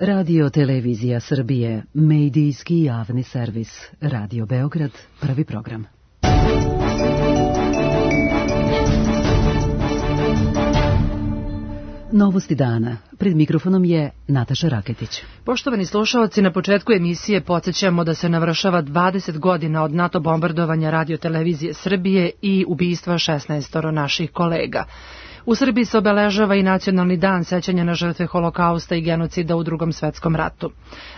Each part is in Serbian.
Radio Televizija Srbije, medijski javni servis. Radio Beograd, prvi program. Novosti dana. Pred mikrofonom je Nataša Raketić. Poštovani slušaoci, na početku emisije podsjećamo da se navršava 20 godina od NATO bombardovanja Radio Televizije Srbije i ubistva 16 naših kolega. U Srbiji se obeležava i Nacionalni dan sećanja na žrtve Holokausta i genocida u Drugom svetskom ratu.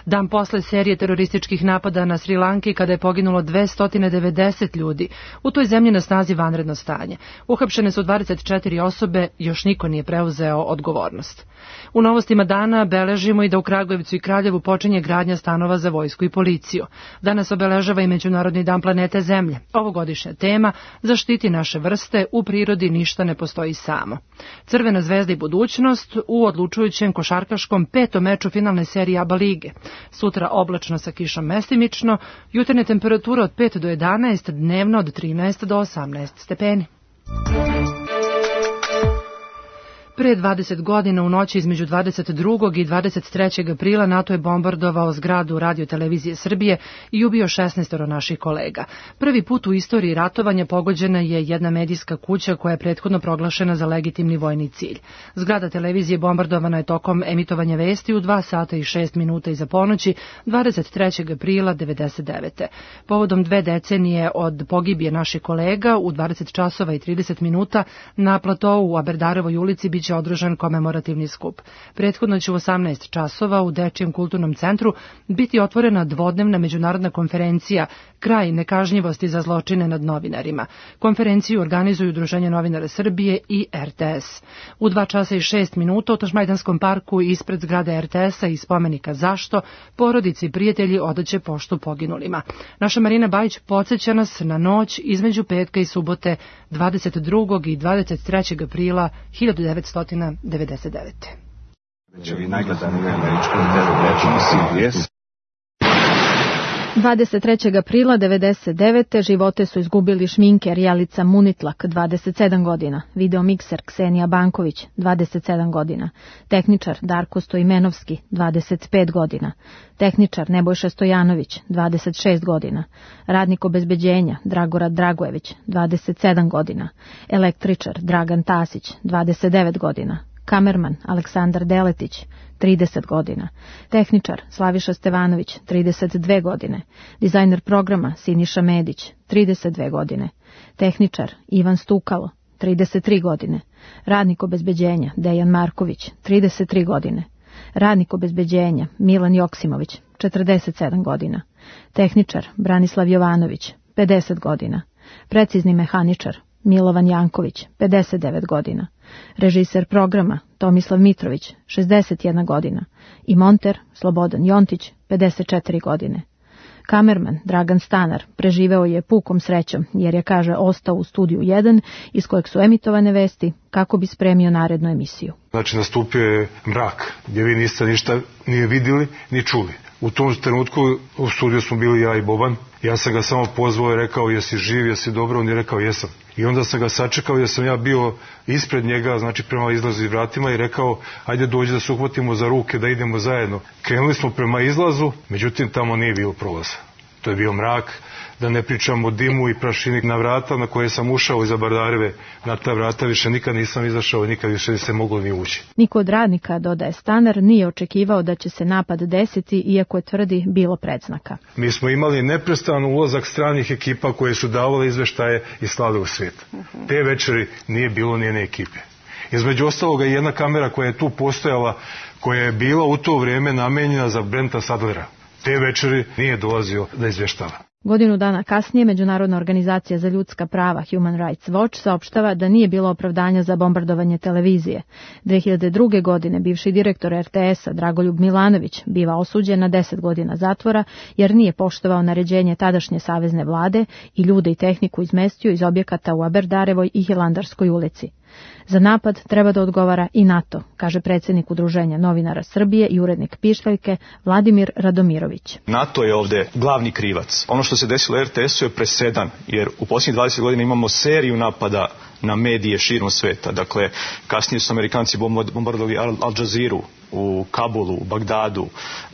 Dan posle serije terorističkih napada na Sri Lanki, kada je poginulo 290 ljudi, u toj zemlji na snazi vanredno stanje. Uhapšene su 24 osobe, još niko nije preuzeo odgovornost. U novostima dana beležimo i da u Kragujevcu i Kraljevu počinje gradnja stanova za vojsku i policiju. Danas obeležava i Međunarodni dan planete Zemlje. Ovogodišnja tema: zaštiti naše vrste, u prirodi ništa ne postoji samo. Crvena zvezda i budućnost u odlučujućem košarkaškom 5. meču finalne serije ABA lige. Sutra oblačno sa kišom mestimično, jutarnje temperatura od 5 do 11, dnevno od 13 do 18 stepeni. Pre 20 godina u noći između 22. i 23. aprila NATO je bombardovao zgradu Radio Televizije Srbije i ubio 16 naših kolega. Prvi put u istoriji ratovanja pogođena je jedna medijska kuća koja je prethodno proglašena za legitimni vojni cilj. Zgrada televizije bombardovana je tokom emitovanja vesti u 2 sata i 6 minuta iza ponoći 23. aprila 1999. Povodom 2 decenije od pogibije naših kolega u 20 časova i 30 minuta na platovu u Aberdarevoj ulici biće održan komemorativni skup. Prethodno će u 18 časova u Dečijem kulturnom centru biti otvorena dvodnevna međunarodna konferencija Kraj nekažnjivosti za zločine nad novinarima. Konferenciju organizuju Udruženje novinara Srbije i RTS. U 2 časa i 6 minuta u Tašmajdanskom parku ispred zgrade RTS-a i spomenika Zašto porodice i prijatelji odaće poštu poginulima. Naša Marina Bajić podsjeća nas na noć između petka i subote 22. i 23. aprila 1999. Večevi najgledaniji američkoj televiziji CBS. 23. aprila 1999. živote su izgubili šminker Jelica Munitlak, 27 godina, videomikser Ksenija Banković, 27 godina, tehničar Darko Stojmenovski, 25 godina, tehničar Nebojša Stojanović, 26 godina, radnik obezbeđenja Dragorad Dragojević, 27 godina, električar Dragan Tasić, 29 godina, kamerman Aleksandar Deletić, 30 godina, tehničar Slaviša Stevanović, 32 godine, dizajner programa Siniša Medić, 32 godine, tehničar Ivan Stukalo, 33 godine, radnik obezbeđenja Dejan Marković, 33 godine, radnik obezbeđenja Milan Joksimović, 47 godina, tehničar Branislav Jovanović, 50 godina, precizni mehaničar Milovan Janković, 59 godina, režiser programa Tomislav Mitrović, 61 godina i monter Slobodan Jontić, 54 godine. Kamerman Dragan Stanar preživeo je pukom srećom jer je, kaže, ostao u studiju 1 iz kojeg su emitovane vesti kako bi spremio narednu emisiju. Znači, nastupio je mrak gdje vi niste ništa ni vidjeli ni čuli. U tom trenutku u studiju smo bili ja i Boban. Ja sam ga samo pozvao i rekao: jesi živ, jesi dobro? On je rekao: jesam. I onda sam ga sačekao jer sam ja bio ispred njega, znači prema izlazu i vratima, i rekao: ajde dođi da se uhvatimo za ruke, da idemo zajedno. Krenuli smo prema izlazu, međutim tamo nije bilo prolaza. To je bio mrak, da ne pričam o dimu i prašini na vrata na koje sam ušao iza Bardareve. Na ta vrata više nikad nisam izašao i nikad više se moglo ni ući. Niko od radnika, dodaje Stanar, nije očekivao da će se napad desiti, iako je, tvrdi, bilo predznaka. Mi smo imali neprestan ulazak stranih ekipa koje su davale izveštaje i slale u svijet. Te večeri nije bilo nijedne ekipe. Između ostaloga i jedna kamera koja je tu postojala, koja je bila u to vrijeme namenjena za Brenta Sadlera. Te večeri nije dolazio da izvještava. Godinu dana kasnije Međunarodna organizacija za ljudska prava Human Rights Watch saopštava da nije bilo opravdanja za bombardovanje televizije. 2002. godine bivši direktor RTS-a Dragoljub Milanović biva osuđen na 10 godina zatvora jer nije poštovao naređenje tadašnje savezne vlade i ljude i tehniku izmestio iz objekata u Aberdarevoj i Hilandarskoj ulici. Za napad treba da odgovara i NATO, kaže predsjednik Udruženja novinara Srbije i urednik Pištaljke Vladimir Radomirović. NATO je ovdje glavni krivac. Ono što se desilo RTS-u je presedan, jer u posljednjih 20 godina imamo seriju napada na medije širom sveta. Dakle, kasnije su Amerikanci bombardovali Al Jazeeru u Kabulu, u Bagdadu,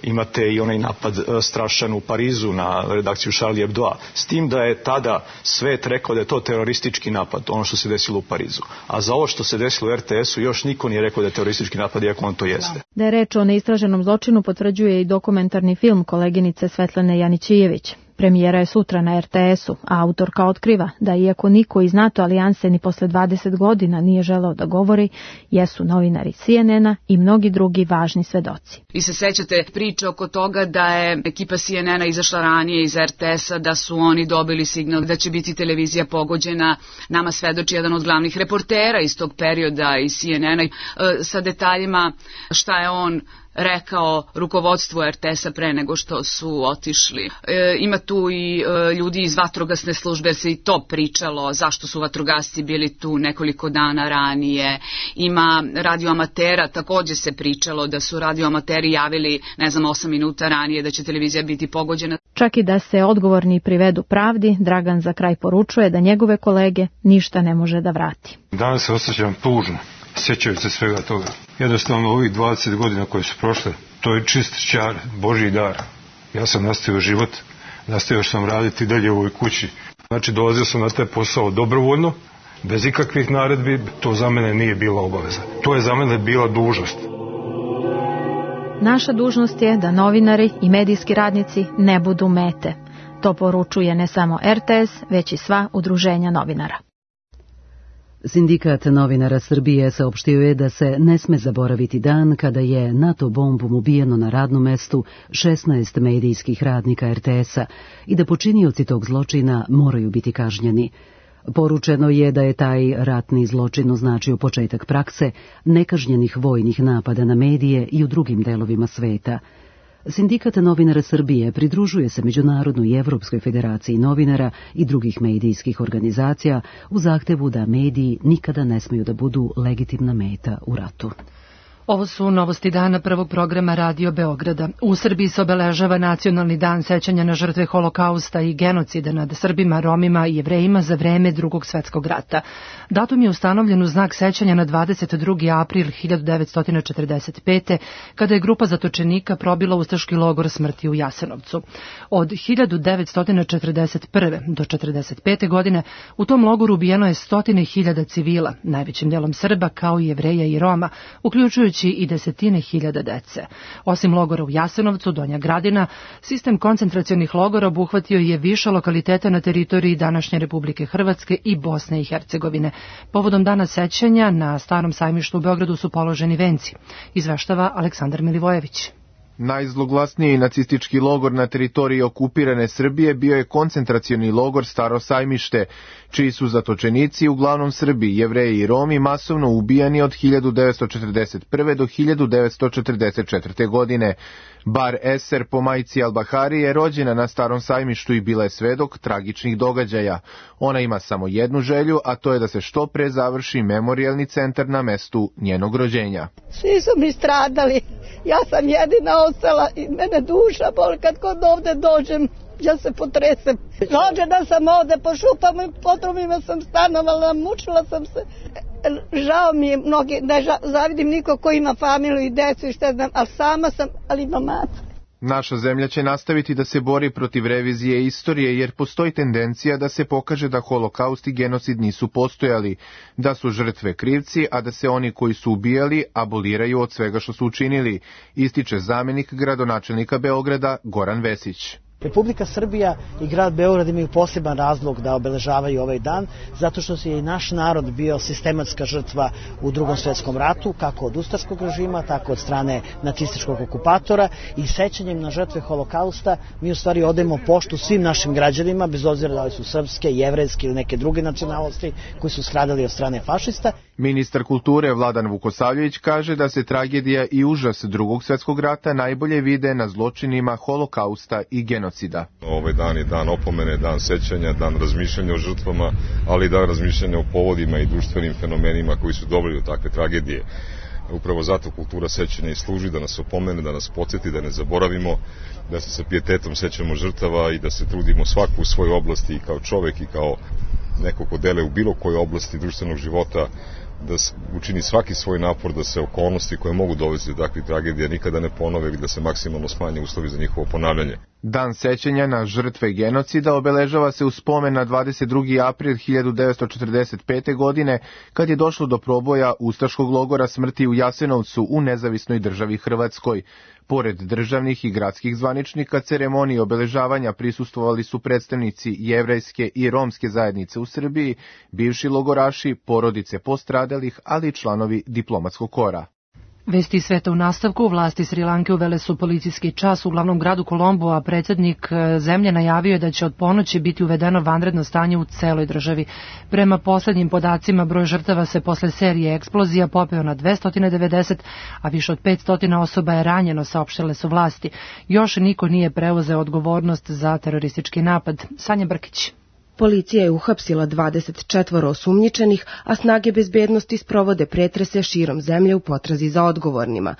imate i onaj napad strašan u Parizu na redakciju Charlie Hebdoa, s tim da je tada svet rekao da je to teroristički napad, ono što se desilo u Parizu. A za ovo što se desilo u RTS-u još niko nije rekao da je teroristički napad, iako on to jeste. Da je reč o neistraženom zločinu potvrđuje i dokumentarni film koleginice Svetlane Janićijević. Premijera je sutra na RTS-u, a autorka otkriva da iako niko iz NATO alijanse ni posle 20 godina nije želeo da govori, jesu novinari CNN-a i mnogi drugi važni svedoci. Vi se sećate priče oko toga da je ekipa CNN-a izašla ranije iz RTS-a, da su oni dobili signal da će biti televizija pogođena. Nama svedoči jedan od glavnih reportera iz tog perioda iz CNN-a sa detaljima šta je on rekao rukovodstvu RTS-a pre nego što su otišli. Ima tu i ljudi iz vatrogasne službe, jer se i to pričalo, zašto su vatrogasci bili tu nekoliko dana ranije. Ima radioamatera, takođe se pričalo da su radioamateri javili, 8 minuta ranije da će televizija biti pogođena. Čak i da se odgovorni privedu pravdi, Dragan za kraj poručuje da njegove kolege ništa ne može da vrati. Danas se osjećam tužno, sjećajući se svega toga. Jednostavno ovih 20 godina koje su prošle, to je čist čar, Božji dar. Ja sam nastavio život, nastavio sam raditi dalje u ovoj kući. Znači dolazio sam na taj posao dobrovoljno, bez ikakvih naredbi, to za mene nije bila obaveza. To je za mene bila dužnost. Naša dužnost je da novinari i medijski radnici ne budu mete. To poručuje ne samo RTS, već i sva udruženja novinara. Sindikat novinara Srbije saopštio je da se ne sme zaboraviti dan kada je NATO bombom ubijeno na radnom mestu 16 medijskih radnika RTS-a i da počinioci tog zločina moraju biti kažnjeni. Poručeno je da je taj ratni zločin označio početak prakse nekažnjenih vojnih napada na medije i u drugim delovima sveta. Sindikat novinara Srbije pridružuje se Međunarodnoj i Evropskoj federaciji novinara i drugih medijskih organizacija u zahtevu da mediji nikada ne smeju da budu legitimna meta u ratu. Ovo su novosti dana prvog programa Radio Beograda. U Srbiji se obeležava Nacionalni dan sećanja na žrtve Holokausta i genocida nad Srbima, Romima i Jevrejima za vreme Drugog svetskog rata. Datum je ustanovljen u znak sećanja na 22. april 1945. kada je grupa zatočenika probila ustaški logor smrti u Jasenovcu. Od 1941. do 1945. godine u tom logoru ubijeno je 100.000 civila, najvećim delom Srba kao i Jevreja i Roma, uključujući i 10.000 dece. Osim logora u Jasenovcu, Donja Gradina, sistem koncentracionih logora obuhvatio je više lokaliteta na teritoriji današnje Republike Hrvatske i Bosne i Hercegovine. Povodom dana sećanja na Starom sajmištu u Beogradu su položeni venci, izveštava Aleksandar Milivojević. Najzloglasniji nacistički logor na teritoriji okupirane Srbije bio je koncentracioni logor Staro sajmište, čiji su zatočenici, uglavnom Srbi, Jevreji i Romi, masovno ubijani od 1941. do 1944. godine. Bar Eser po majci Al-Bahari je rođena na Starom sajmištu i bila je svedok tragičnih događaja. Ona ima samo jednu želju, a to je da se što pre završi memorijalni centar na mestu njenog rođenja. Svi su mi stradali, ja sam jedina ostala i mene duša boli kad kod ovde dođem. Ja se potresem. Rođena sam ovde po šupama i potrubima sam stanovala, mučila sam se. Žao mi je mnogi, ne zavidim niko ko ima familiju i decu i šta znam, ali sama sam, ali imam mater. Naša zemlja će nastaviti da se bori protiv revizije istorije jer postoji tendencija da se pokaže da holokaust i genocid nisu postojali, da su žrtve krivci, a da se oni koji su ubijali aboliraju od svega što su učinili, ističe zamenik gradonačelnika Beograda Goran Vesić. Republika Srbija i grad Beograd imaju poseban razlog da obeležavaju ovaj dan, zato što je i naš narod bio sistematska žrtva u Drugom svetskom ratu, kako od ustaškog režima, tako od strane nacističkog okupatora, i sećanjem na žrtve Holokausta mi u stvari odajemo poštu svim našim građanima, bez obzira da li su srpske, jevrejske ili neke druge nacionalnosti koji su stradali od strane fašista. Ministar kulture Vladan Vukosavljević kaže da se tragedija i užas Drugog svjetskog rata najbolje vide na zločinima Holokausta i genocida. Ovaj dan je dan opomene, dan sećanja, dan razmišljanja o žrtvama, ali i dan razmišljanja o povodima i društvenim fenomenima koji su doveli do takve tragedije. Upravo zato kultura sećanja i služi da nas opomene, da nas podsjeti, da ne zaboravimo, da se sa pijetetom sećamo žrtava i da se trudimo svaku u svojoj oblasti i kao čovek i kao neko ko deluje u bilo kojoj oblasti društvenog života, da učini svaki svoj napor da se okolnosti koje mogu dovesti do takvih tragedija nikada ne ponove i da se maksimalno smanje uslovi za njihovo ponavljanje. Dan sećanja na žrtve genocida obeležava se u spomen na 22. april 1945. godine, kad je došlo do proboja ustaškog logora smrti u Jasenovcu u nezavisnoj državi Hrvatskoj. Pored državnih i gradskih zvaničnika, ceremoniji obeležavanja prisustvovali su predstavnici jevrejske i romske zajednice u Srbiji, bivši logoraši, porodice postradalih, ali i članovi diplomatskog kora. Vesti sveta u nastavku. Vlasti Sri Lanke uvele su policijski čas u glavnom gradu Kolombo, a predsjednik zemlje najavio je da će od ponoći biti uvedeno vanredno stanje u celoj državi. Prema poslednjim podacima, broj žrtava se posle serije eksplozija popeo na 290, a više od 500 osoba je ranjeno, saopštile su vlasti. Još niko nije preuzeo odgovornost za teroristički napad. Sanja Brkić. Policija je uhapsila 24 osumnjičenih, a snage bezbednosti sprovode pretrese širom zemlje u potrazi za odgovornima.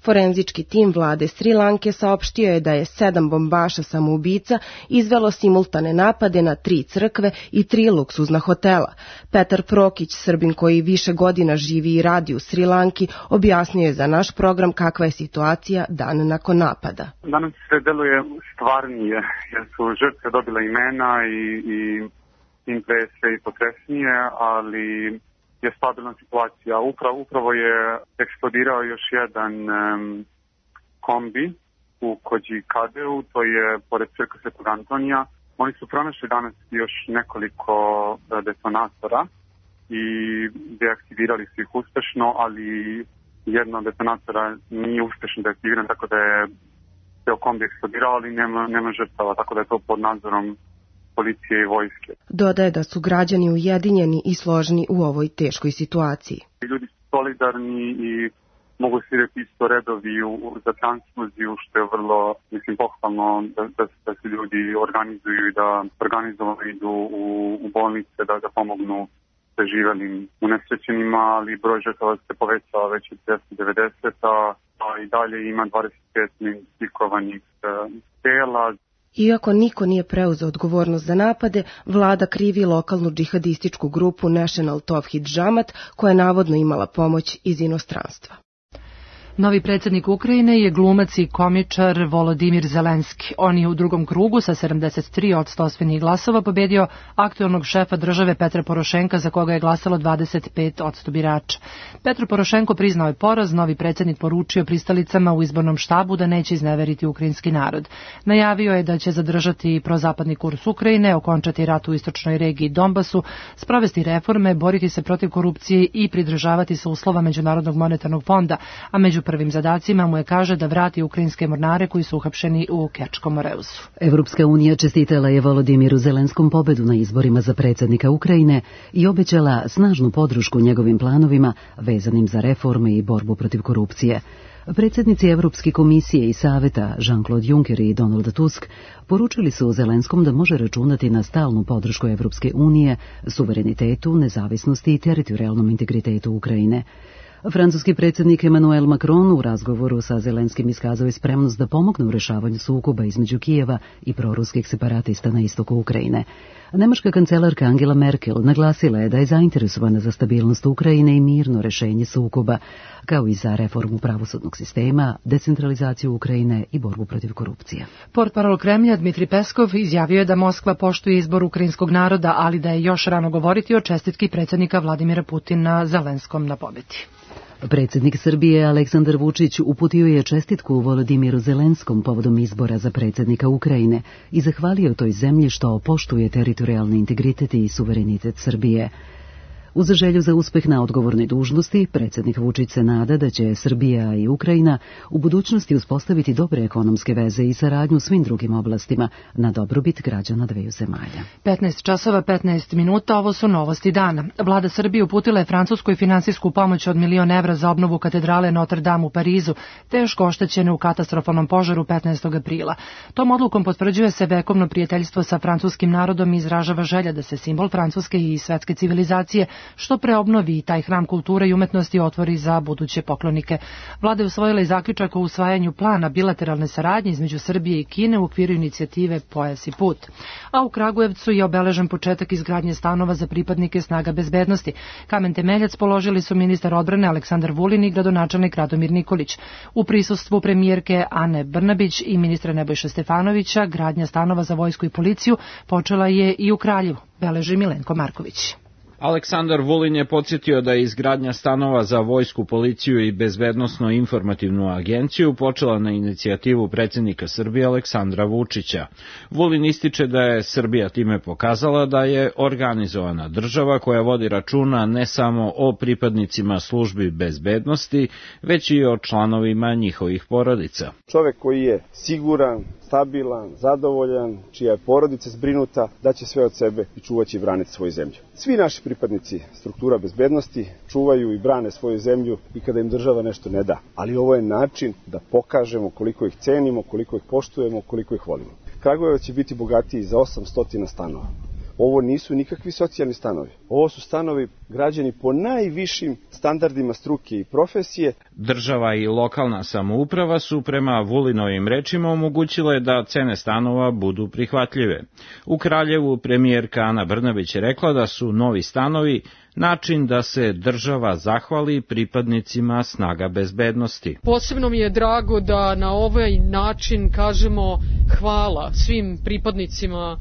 Forenzički tim vlade Sri Lanke saopštio je da je 7 bombaša samoubica izvelo simultane napade na 3 crkve i 3 luksuzna hotela. Petar Prokić, Srbin koji više godina živi i radi u Sri Lanki, objasnio je za naš program kakva je situacija dan nakon napada. Danas sve deluje stvarnije, jer su žrtve dobile imena i tim pre sve i potresnije, ali je stabilna situacija. Upravo je eksplodirao još jedan kombi u Kođikadeu, to je pored crkve Svetog Antonija. Oni su pronašli danas još nekoliko detonatora i deaktivirali su ih uspešno, ali jedna od detonatora nije uspešno deaktiviran, tako da je ceo kombi eksplodirao, ali nema žrtava, tako da je to pod nadzorom policije i vojske. Dodaje da su građani ujedinjeni i složni u ovoj teškoj situaciji. Ljudi su solidarni i mogu se vidjeti isto redovi za transfuziju, što je vrlo, pohvalno da se ljudi organizuju i da organizovano idu u bolnice da pomognu preživelim unesrećenima, ali broj žrtava se povećava već od 290, a i dalje ima 25 identifikovanih tela. Iako niko nije preuzeo odgovornost za napade, vlada krivi lokalnu džihadističku grupu National Tawhid Jamaat, koja je navodno imala pomoć iz inostranstva. Novi predsjednik Ukrajine je glumac i komičar Volodimir Zelenski. On je u drugom krugu sa 73% osvojenih glasova pobedio aktuelnog šefa države Petra Porošenka, za koga je glasalo 25% birača. Petro Porošenko priznao je poraz, novi predsjednik poručio pristalicama u izbornom štabu da neće izneveriti ukrajinski narod. Najavio je da će zadržati prozapadni kurs Ukrajine, okončati rat u istočnoj regiji Donbasu, sprovesti reforme, boriti se protiv korupcije i pridržavati se uslova Međunarodnog monetarnog fonda, a među prvim zadacima mu je, kaže, da vrati ukrajinske mornare koji su uhapšeni u Kerčkom Moreusu. Evropska unija čestitala je Volodimiru Zelenskom pobedu na izborima za predsjednika Ukrajine i obećala snažnu podršku njegovim planovima vezanim za reforme i borbu protiv korupcije. Predsjednici Evropske komisije i saveta Jean-Claude Juncker i Donald Tusk poručili su Zelenskom da može računati na stalnu podršku Evropske unije, suverenitetu, nezavisnosti i teritorijalnom integritetu Ukrajine. Francuski predsjednik Emmanuel Macron u razgovoru sa Zelenskim iskazao je spremnost da pomogne u rešavanju sukoba između Kijeva i proruskih separatista na istoku Ukrajine. Nemačka kancelarka Angela Merkel naglasila je da je zainteresovana za stabilnost Ukrajine i mirno rešenje sukoba, kao i za reformu pravosudnog sistema, decentralizaciju Ukrajine i borbu protiv korupcije. Portparol Kremlja Dmitri Peskov izjavio je da Moskva poštuje izbor ukrajinskog naroda, ali da je još rano govoriti o čestitki predsjednika Vladimira Putina Zelenskom na pobedi. Predsjednik Srbije Aleksandar Vučić uputio je čestitku Volodimiru Zelenskom povodom izbora za predsjednika Ukrajine i zahvalio toj zemlji što poštuje teritorijalni integritet i suverenitet Srbije. Uz želju za uspeh na odgovornoj dužnosti, predsjednik Vučić se nada da će Srbija i Ukrajina u budućnosti uspostaviti dobre ekonomske veze i saradnju u svim drugim oblastima na dobrobit građana dveju zemalja. 15 časova 15 minuta, ovo su novosti dana. Vlada Srbije uputila je Francuskoj finansijsku pomoć od 1 milion evra za obnovu katedrale Notre Dame u Parizu, teško oštećene u katastrofalnom požaru 15. aprila. Tom odlukom potvrđuje se vekovno prijateljstvo sa francuskim narodom i izražava želja da se simbol francuske i svetske civilizacije što preobnovi taj hram kulture i umetnosti otvori za buduće poklonike. Vlada je usvojila i zaključak o usvajanju plana bilateralne saradnje između Srbije i Kine u okviru inicijative Pojas i put. A u Kragujevcu je obeležen početak izgradnje stanova za pripadnike snaga bezbednosti. Kamen temeljac položili su ministar odbrane Aleksandar Vulin i gradonačelnik Radomir Nikolić. U prisustvu premijerke Ane Brnabić i ministra Nebojše Stefanovića gradnja stanova za vojsku i policiju počela je i u Kraljevu, beleži Milenko Marković. Aleksandar Vulin je podsjetio da je izgradnja stanova za vojsku, policiju i bezbednosno-informativnu agenciju počela na inicijativu predsjednika Srbije Aleksandra Vučića. Vulin ističe da je Srbija time pokazala da je organizovana država koja vodi računa ne samo o pripadnicima službi bezbednosti, već i o članovima njihovih porodica. Čovek koji je siguran, stabilan, zadovoljan, čija je porodica zbrinuta, daće sve od sebe i čuvaće i braniti svoju zemlju. Svi naši pripadnici struktura bezbednosti čuvaju i brane svoju zemlju i kada im država nešto ne da. Ali ovo je način da pokažemo koliko ih cenimo, koliko ih poštujemo, koliko ih volimo. Kragujevac će biti bogatiji za 800 stanova. Ovo nisu nikakvi socijalni stanovi. Ovo su stanovi građeni po najvišim standardima struke i profesije. Država i lokalna samouprava su prema Vulinovim rečima omogućile da cene stanova budu prihvatljive. U Kraljevu premijerka Ana Brnabić je rekla da su novi stanovi način da se država zahvali pripadnicima snaga bezbednosti. Posebno mi je drago da na ovaj način kažemo hvala svim pripadnicima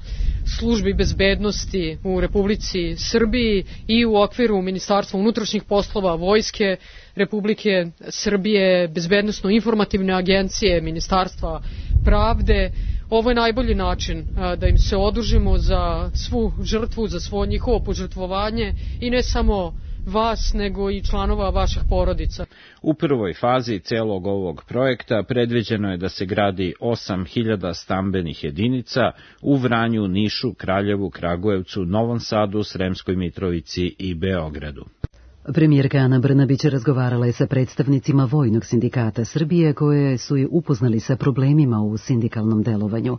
službi bezbednosti u Republici Srbiji i u okviru Ministarstva unutrašnjih poslova, Vojske Republike Srbije, Bezbednosno-informativne agencije, Ministarstva pravde. Ovo je najbolji način da im se odužimo za svu žrtvu, za svo njihovo požrtvovanje i ne samo vas, nego i članova vaših porodica. U prvoj fazi celog ovog projekta predviđeno je da se gradi 8.000 stambenih jedinica u Vranju, Nišu, Kraljevu, Kragujevcu, Novom Sadu, Sremskoj Mitrovici i Beogradu. Premijerka Ana Brnabić razgovarala je sa predstavnicima Vojnog sindikata Srbije koje su je upoznali sa problemima u sindikalnom delovanju.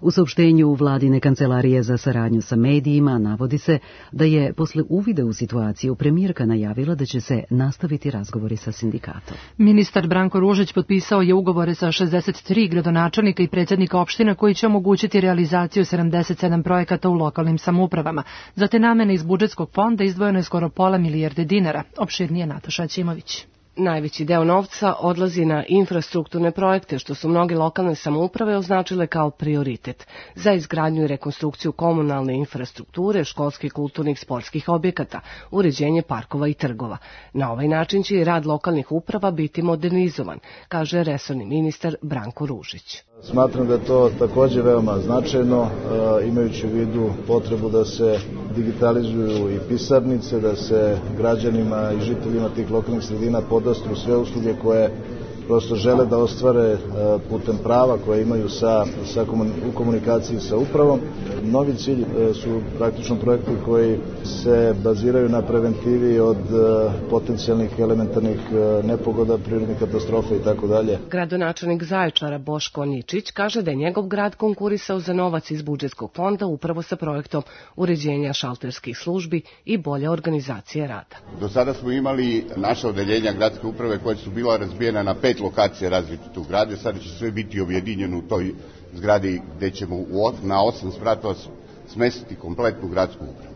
U saopštenju Vladine kancelarije za saradnju sa medijima navodi se da je posle uvida u situaciju premijerka najavila da će se nastaviti razgovori sa sindikatom. Ministar Branko Ružić potpisao je ugovore sa 63 gradonačelnika i predsjednika opština koji će omogućiti realizaciju 77 projekata u lokalnim samoupravama. Za te namene iz budžetskog fonda izdvojeno je skoro pola milijarde dinara. Opširnije Nataša Ćimović. Najveći deo novca odlazi na infrastrukturne projekte, što su mnoge lokalne samouprave označile kao prioritet za izgradnju i rekonstrukciju komunalne infrastrukture, školskih, kulturnih, sportskih objekata, uređenje parkova i trgova. Na ovaj način će i rad lokalnih uprava biti modernizovan, kaže resorni ministar Branko Ružić. Smatram da je to također veoma značajno, imajući u vidu potrebu da se digitalizuju i pisarnice, da se građanima i žiteljima tih lokalnih sredina podastru sve usluge koje prosto žele da ostvare putem prava koje imaju u komunikaciji sa upravom. Novi cilj su praktično projekti koji se baziraju na preventivi od potencijalnih elementarnih nepogoda, prirodnih katastrofa i tako dalje. Gradonačelnik Zaječara Boško Ničić kaže da je njegov grad konkurisao za novac iz budžetskog fonda upravo sa projektom uređenja šalterskih službi i bolje organizacije rada. Do sada smo imali naša odeljenja gradske uprave koja su bila razbijena na 5 lokacije različite u gradu, sada će sve biti objedinjeno u toj zgradi gde ćemo na 8 spratova smestiti kompletnu gradsku upravu.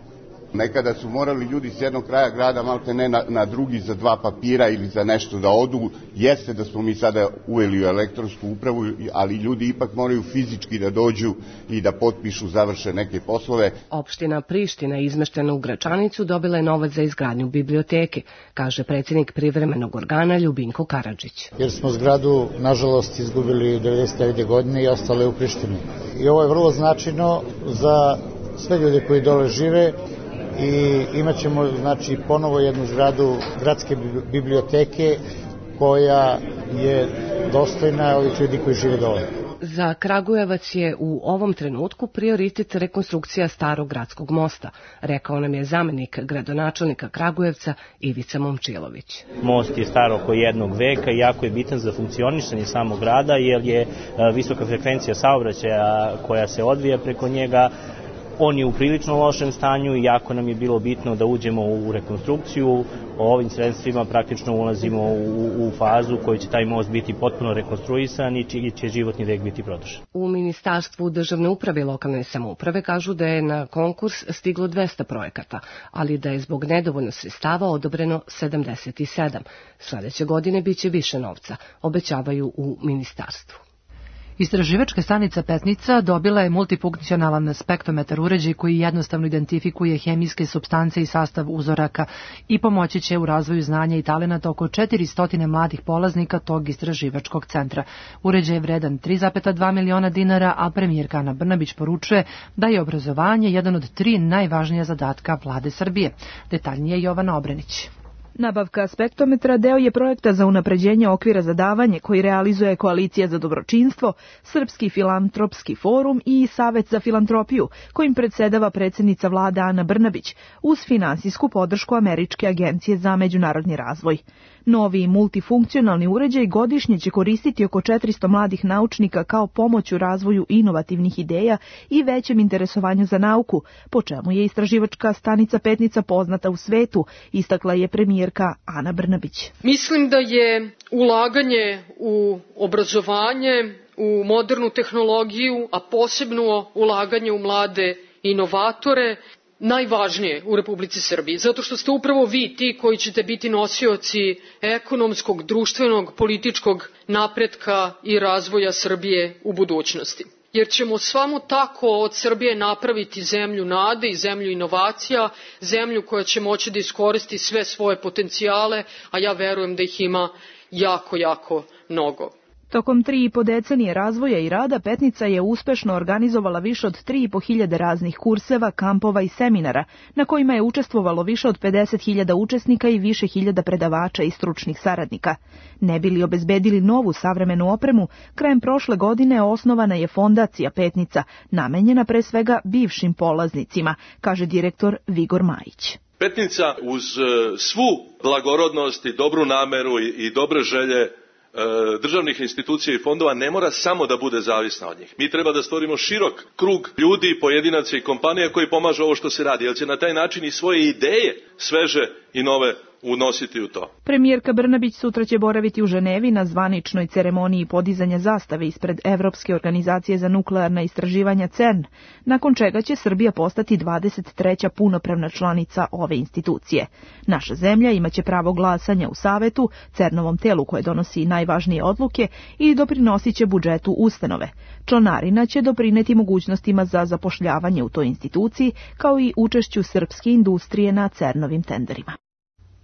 Nekada su morali ljudi s jednog kraja grada malte ne na drugi za 2 papira ili za nešto da odu. Jeste da smo mi sada uveli u elektronsku upravu, ali ljudi ipak moraju fizički da dođu i da potpišu, završe neke poslove. Opština Priština, izmeštena u Gračanicu, dobila je novac za izgradnju biblioteke, kaže predsjednik privremenog organa Ljubinko Karadžić. Jer smo zgradu, nažalost, izgubili 99. godine i ostale u Prištini. I ovo je vrlo značajno za sve ljude koji dole žive, i imat ćemo ponovo jednu zgradu gradske biblioteke koja je dostojna ovih ljudi koji žive dole. Za Kragujevac je u ovom trenutku prioritet rekonstrukcija starog gradskog mosta, rekao nam je zamenik gradonačelnika Kragujevca Ivica Momčilović. Most je star oko 1 veka i jako je bitan za funkcionisanje samog grada jer je visoka frekvencija saobraćaja koja se odvija preko njega On je u prilično lošem stanju i jako nam je bilo bitno da uđemo u rekonstrukciju. Ovim sredstvima praktično ulazimo u fazu u kojoj će taj most biti potpuno rekonstruisan i čiji će životni vek biti produžen. U Ministarstvu državne uprave i lokalne samouprave kažu da je na konkurs stiglo 200 projekata, ali da je zbog nedovoljno sredstava odobreno 77. Sledeće godine biće više novca, obećavaju u ministarstvu. Istraživačka stanica Petnica dobila je multifunkcionalan spektrometar uređaj koji jednostavno identifikuje hemijske supstance i sastav uzoraka i pomoći će u razvoju znanja i talenata oko 400 mladih polaznika tog istraživačkog centra. Uređaj je vredan 3,2 miliona dinara, a premijerka Ana Brnabić poručuje da je obrazovanje jedan od 3 najvažnija zadatka vlade Srbije. Detaljnije Jovana Obrenić. Nabavka spektrometra deo je projekta za unapređenje okvira za davanje koji realizuje Koalicija za dobročinstvo, Srpski filantropski forum i Savet za filantropiju, kojim predsedava predsjednica vlade Ana Brnabić, uz finansijsku podršku Američke agencije za međunarodni razvoj. Novi multifunkcionalni uređaj godišnje će koristiti oko 400 mladih naučnika kao pomoć u razvoju inovativnih ideja i većem interesovanju za nauku, po čemu je istraživačka stanica Petnica poznata u svetu, istakla je premijerka Ana Brnabić. Mislim da je ulaganje u obrazovanje, u modernu tehnologiju, a posebno ulaganje u mlade inovatore, najvažnije u Republici Srbiji, zato što ste upravo vi ti koji ćete biti nosioci ekonomskog, društvenog, političkog napretka i razvoja Srbije u budućnosti. Jer ćemo samo tako od Srbije napraviti zemlju nade i zemlju inovacija, zemlju koja će moći da iskoristi sve svoje potencijale, a ja verujem da ih ima jako mnogo. Tokom 3,5 decenije razvoja i rada Petnica je uspešno organizovala više od 3.500 raznih kurseva, kampova i seminara, na kojima je učestvovalo više od 50.000 učesnika i više hiljada predavača i stručnih saradnika. Ne bi li obezbedili novu savremenu opremu, krajem prošle godine osnovana je fondacija Petnica, namenjena pre svega bivšim polaznicima, kaže direktor Vigor Majić. Petnica uz svu blagorodnost i dobru nameru i dobre želje državnih institucija i fondova ne mora samo da bude zavisna od njih. Mi treba da stvorimo širok krug ljudi, pojedinaca i kompanija koji pomažu ovo što se radi, jer će na taj način i svoje ideje sveže i nove unositi u to. Premijerka Brnabić sutra će boraviti u Ženevi na zvaničnoj ceremoniji podizanja zastave ispred Evropske organizacije za nuklearna istraživanja CERN, nakon čega će Srbija postati 23. punopravna članica ove institucije. Naša zemlja imaće pravo glasanja u Savetu, CERN-ovom telu koje donosi najvažnije odluke i doprinosit će budžetu ustanove. Članarina će doprineti mogućnostima za zapošljavanje u toj instituciji, kao i učešću srpske industrije na CERN-ovim tenderima.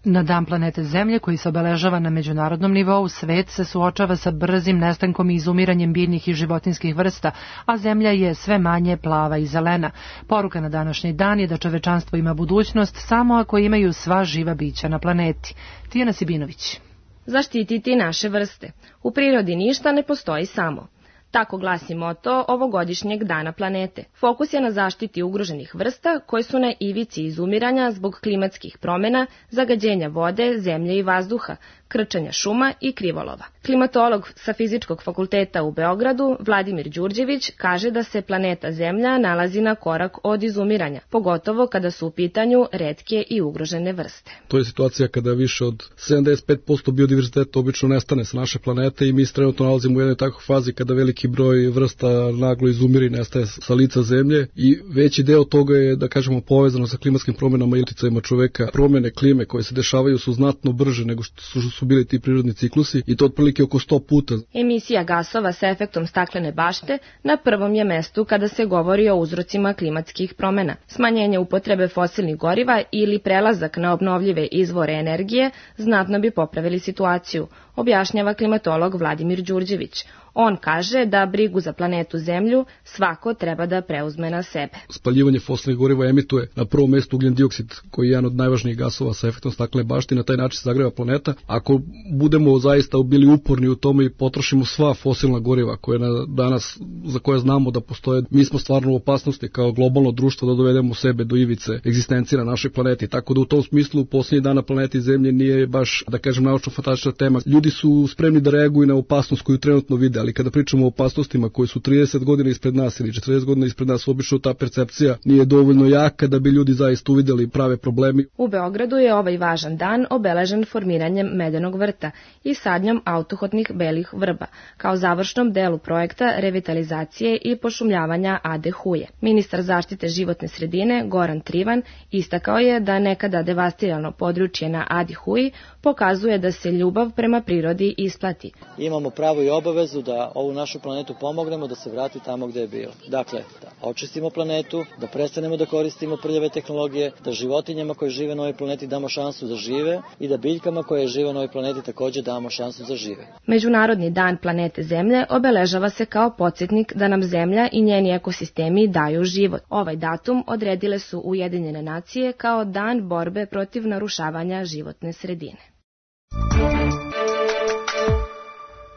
Na Dan planete Zemlje, koji se obeležava na međunarodnom nivou, svet se suočava sa brzim nestankom i izumiranjem biljnih i životinskih vrsta, a Zemlja je sve manje plava i zelena. Poruka na današnji dan je da čovečanstvo ima budućnost samo ako imaju sva živa bića na planeti. Tijana Sibinović. Zaštititi naše vrste. U prirodi ništa ne postoji samo. Tako glasi moto ovogodišnjeg Dana planete. Fokus je na zaštiti ugroženih vrsta koje su na ivici izumiranja zbog klimatskih promjena, zagađenja vode, zemlje i vazduha, krčenja šuma i krivolova. Klimatolog sa Fizičkog fakulteta u Beogradu, Vladimir Đurđević, kaže da se planeta Zemlja nalazi na korak od izumiranja, pogotovo kada su u pitanju retke i ugrožene vrste. To je situacija kada više od 75% biodiverziteta obično nestane sa naše planete i mi se trenutno nalazimo u jednoj takvoj fazi kada veliki broj vrsta naglo izumire i nestaje sa lica Zemlje i veći deo toga je, da kažemo, povezano sa klimatskim promjenama i uticajima čoveka. Promjene klime koje se dešavaju su znatno brže nego što su bili ti prirodni ciklusi i to otprilike oko 100 puta. Emisija gasova sa efektom staklene bašte na prvom je mestu kada se govori o uzrocima klimatskih promjena. Smanjenje upotrebe fosilnih goriva ili prelazak na obnovljive izvore energije znatno bi popravili situaciju, objašnjava klimatolog Vladimir Đurđević. On kaže da brigu za planetu Zemlju svako treba da preuzme na sebe. Spaljivanje fosilnih goriva emituje na prvom mestu ugljen dioksid, koji je jedan od najvažnijih gasova sa efektom staklene bašte i na taj način se zagreva planeta. Ako budemo zaista bili uporni u tome i potrošimo sva fosilna goriva koje danas, za koje znamo da postoje, mi smo stvarno u opasnosti kao globalno društvo da dovedemo sebe do ivice egzistencije na našoj planeti. Tako da u tom smislu posljednji dan na planeti Zemlje nije baš, da kažem, naučno-fantastična tema. Ljudi ljudi su spremni da reaguju na opasnost koju trenutno vide, ali kada pričamo o opasnostima koji su 30 godina ispred nas ili 40 godina ispred nas, obično ta percepcija nije dovoljno jaka da bi ljudi zaista uvideli prave problemi. U Beogradu je ovaj važan dan obeležen formiranjem Medenog vrta i sadnjom autohotnih belih vrba, kao završnom delu projekta revitalizacije i pošumljavanja Ade Huje. Ministar zaštite životne sredine Goran Trivan istakao je da nekada devastirano područje na Adi Huji pokazuje da se ljubav prema prirodi isplati. Imamo pravo i obavezu da ovu našu planetu pomognemo da se vrati tamo gde je bila. Dakle, da očistimo planetu, da prestanemo da koristimo prljave tehnologije, da životinjama koje žive na ovoj planeti damo šansu da žive i da biljkama koje žive na ovoj planeti takođe damo šansu da žive. Međunarodni dan planete Zemlje obeležava se kao podsjetnik da nam Zemlja i njeni ekosistemi daju život. Ovaj datum odredile su Ujedinjene nacije kao dan borbe protiv narušavanja životne sredine.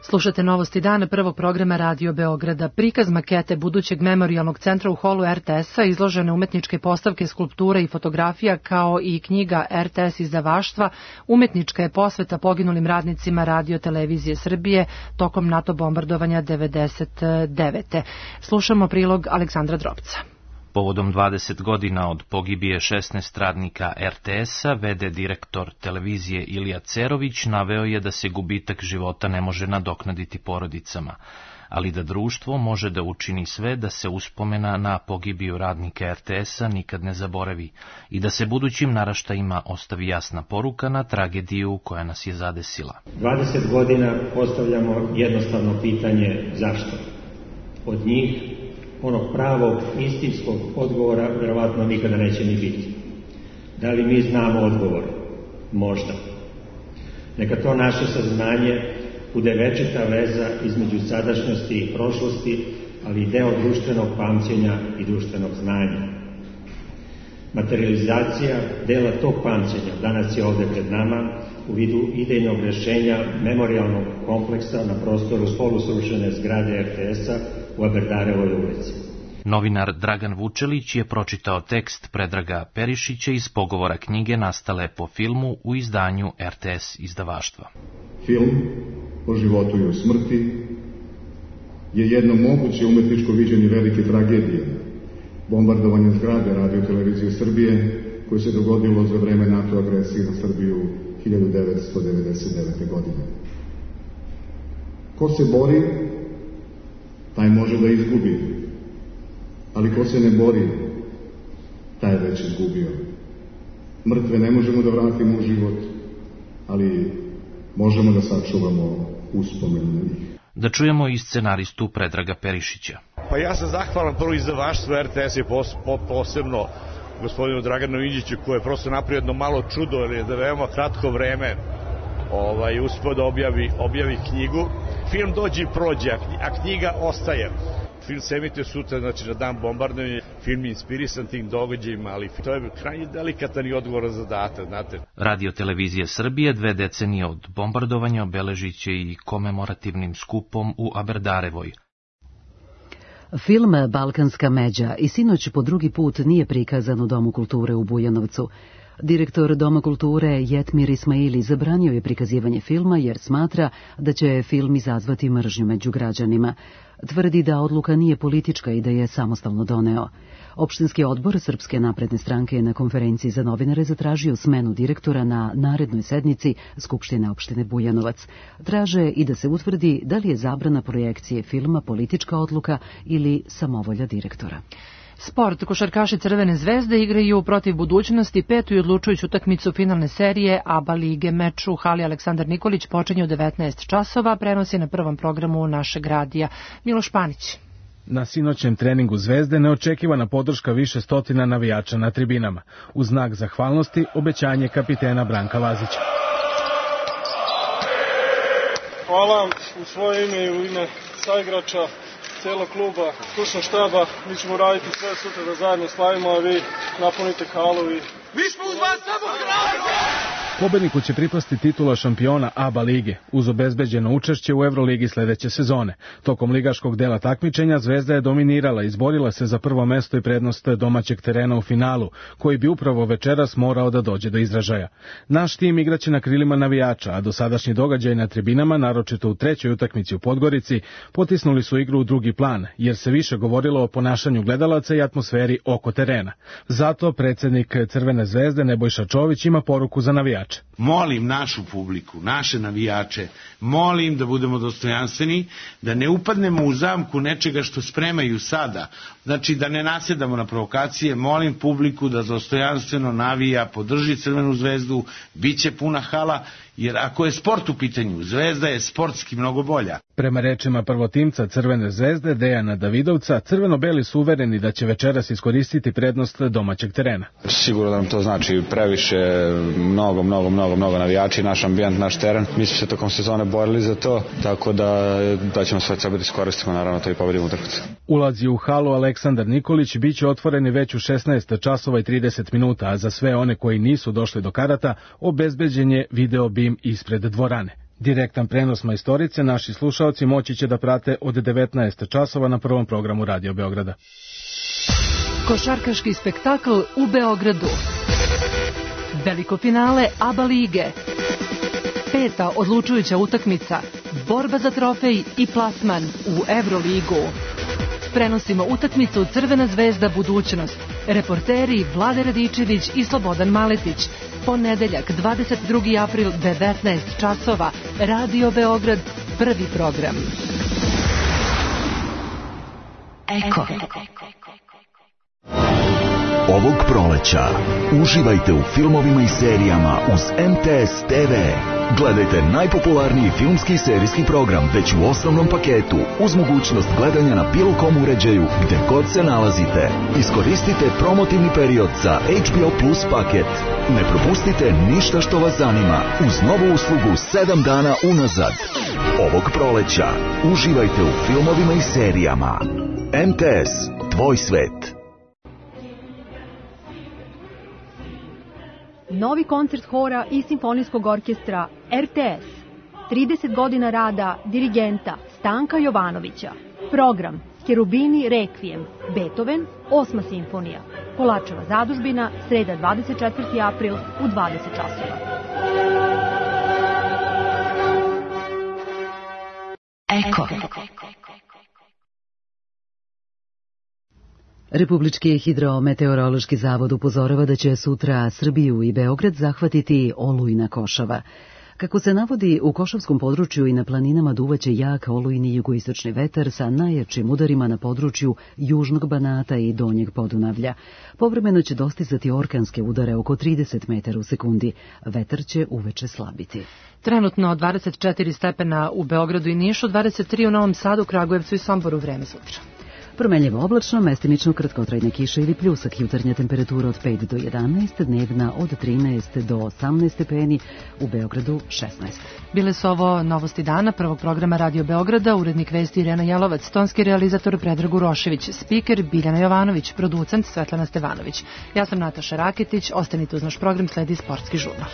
Slušate Novosti dana prvog programa Radio Beograda. Prikaz makete budućeg memorijalnog centra u holu RTS-a, izložene umetničke postavke, skulptura i fotografija, kao i knjiga RTS izdavaštva, umetnička je posveta poginulim radnicima Radio televizije Srbije tokom NATO bombardovanja 1999. Slušamo prilog Aleksandra Drobca. Povodom 20 godina od pogibije 16 radnika RTS-a, v.d. direktor televizije Ilija Cerović naveo je da se gubitak života ne može nadoknaditi porodicama, ali da društvo može da učini sve da se uspomena na pogibiju radnika RTS-a nikad ne zaboravi i da se budućim naraštajima ostavi jasna poruka na tragediju koja nas je zadesila. 20 godina postavljamo jednostavno pitanje zašto. Od njih onog pravog, istinskog odgovora verovatno nikada neće ni biti. Da li mi znamo odgovor? Možda. Neka to naše saznanje bude večita veza između sadašnjosti i prošlosti, ali i deo društvenog pamćenja i društvenog znanja. Materializacija dela tog pamćenja danas je ovde pred nama u vidu idejnog rešenja memorijalnog kompleksa na prostoru polusrušene zgrade RTS-a u Aberdarevoj ulici. Novinar Dragan Vučelić je pročitao tekst Predraga Perišića iz pogovora knjige nastale po filmu u izdanju RTS izdavaštva. Film o životu i o smrti je jedno moguće umetničko viđenje velike tragedije, bombardovanja zgrade Radio televizije Srbije koje se dogodilo za vreme NATO agresije na Srbiju 1999. godine. Ko se bori, taj može da izgubi, ali ko se ne bori, taj je već izgubio. Mrtve ne možemo da vratimo u život, ali možemo da sačuvamo uspomenu na njih. Da čujemo i scenaristu Predraga Perišića. Pa ja sam zahvalan prvo izdavaštvu RTS i posebno gospodinu Draganu Inđiću, koji je prosto napravio jedno malo čudo, jer je da veoma kratko vreme uspeo da objavi knjigu. Film dođe i prođe, a knjiga ostaje. Film se emituje sutra, znači na dan bombardovanja. Film je inspirisan tim događajima, ali to je krajnje delikatan i odgovoran zadatak, znate. Radio televizija Srbije 2 decenije od bombardovanja obeležit će i komemorativnim skupom u Aberdarevoj. Film Balkanska međa i sinoć po drugi put nije prikazan u Domu kulture u Bujanovcu. Direktor Doma kulture Jetmir Ismaili zabranio je prikazivanje filma jer smatra da će film izazvati mržnju među građanima. Tvrdi da odluka nije politička i da je samostalno doneo. Opštinski odbor Srpske napredne stranke je na konferenciji za novinare zatražio smenu direktora na narednoj sednici Skupštine opštine Bujanovac. Traže i da se utvrdi da li je zabrana projekcije filma politička odluka ili samovolja direktora. Sport. Košarkaši Crvene zvezde igraju protiv Budućnosti 5. i odlučujuću utakmicu finalne serije ABA lige. Meč u hali Aleksandar Nikolić počinje u 19 časova, prenosi na prvom programu našeg radija. Miloš Panić. Na sinoćem treningu Zvezde neočekivana podrška više stotina navijača na tribinama. U znak zahvalnosti obećanje kapitena Branka Lazića. Hvala vam u svoje ime i u ime saigrača, celog kluba, stručnog štaba. Mi ćemo raditi sve sutra da zajedno slavimo, a vi napunite halu i... Mi smo uz vas samo hrabri! Pobedniku će pripasti titula šampiona ABA lige uz obezbeđeno učešće u Evroligi sledeće sezone. Tokom ligaškog dela takmičenja Zvezda je dominirala i izborila se za prvo mesto i prednost domaćeg terena u finalu, koji bi upravo večeras morao da dođe do izražaja. Naš tim igraće na krilima navijača, a dosadašnji događaj na tribinama, naročito u trećoj utakmici u Podgorici, potisnuli su igru u drugi plan, jer se više govorilo o ponašanju gledalaca i atmosferi oko terena. Zato predsjednik Crvene zvezde Nebojša Čović ima poruku za navijače. Molim našu publiku, naše navijače, molim da budemo dostojanstveni, da ne upadnemo u zamku nečega što spremaju sada, znači da ne nasjedamo na provokacije, molim publiku da dostojanstveno navija, podrži Crvenu zvezdu, bit će puna hala, jer ako je sport u pitanju, Zvezda je sportski mnogo bolja. Prema rečima prvotimca Crvene zvezde Dejana Davidovca, crveno-beli su uvereni da će večeras iskoristiti prednost domaćeg terena. Sigurno da nam to znači previše, mnogo navijači, naš ambijent, naš teren. Mi smo se tokom sezone borili za to, tako da ćemo sve sebe iskoristiti, naravno to i pobedimo utakmicu. Ulazi u halu Aleksandar Nikolić biće otvoreni već u 16 časova i 30 minuta, a za sve one koji nisu došli do karata obezbeđen je video bim ispred dvorane. Direktan prenos majstorice naši slušaoci moći će da prate od 19 časova na prvom programu Radio Beograda. Košarkaški spektakl u Beogradu. Veliko finale ABA lige. 5. odlučujuća utakmica. Borba za trofej i plasman u Evroligu. Prenosimo utakmicu Crvena zvezda budućnost. Reporteri Vlade Radičević i Slobodan Maletić. Ponedeljak, 22. april, 19 časova. Radio Beograd, prvi program. Eko. Ovog proleća uživajte u filmovima i serijama uz MTS TV. Gledajte najpopularniji filmski i serijski program već u osnovnom paketu uz mogućnost gledanja na bilo kom uređaju gde god se nalazite. Iskoristite promotivni period za HBO Plus paket. Ne propustite ništa što vas zanima uz novu uslugu 7 dana unazad. Ovog proleća uživajte u filmovima i serijama. MTS, tvoj svet. Novi koncert hora i simfonijskog orkestra RTS. 30 godina rada dirigenta Stanka Jovanovića. Program Cherubini Requiem, Beethoven, 8. simfonija. Kolačeva zadužbina, sreda 24. april u 20 časova. Eko. Republički hidrometeorološki zavod upozorava da će sutra Srbiju i Beograd zahvatiti olujna košava. Kako se navodi, u košavskom području i na planinama duvaće jak olujni jugoistočni vetar sa najjačim udarima na području južnog Banata i donjeg Podunavlja. Povremeno će dostizati orkanske udare oko 30 metara u sekundi. Vetar će uveče slabiti. Trenutno 24 stepena u Beogradu i Nišu, 23 u Novom Sadu, Kragujevcu i Somboru. Vreme sutra. Promenljivo oblačno, mestimično kratkotrajne kiše ili pljusak, jutarnja temperatura od 5 do 11, dnevna od 13 do 18 stepeni, u Beogradu 16. Bile su ovo novosti dana prvog programa Radio Beograda, urednik vesti Irena Jelovac, tonski realizator Predrag Urošević, spiker Biljana Jovanović, producent Svetlana Stevanović. Ja sam Nataša Raketić, ostanite uz naš program, sledi sportski žurnal.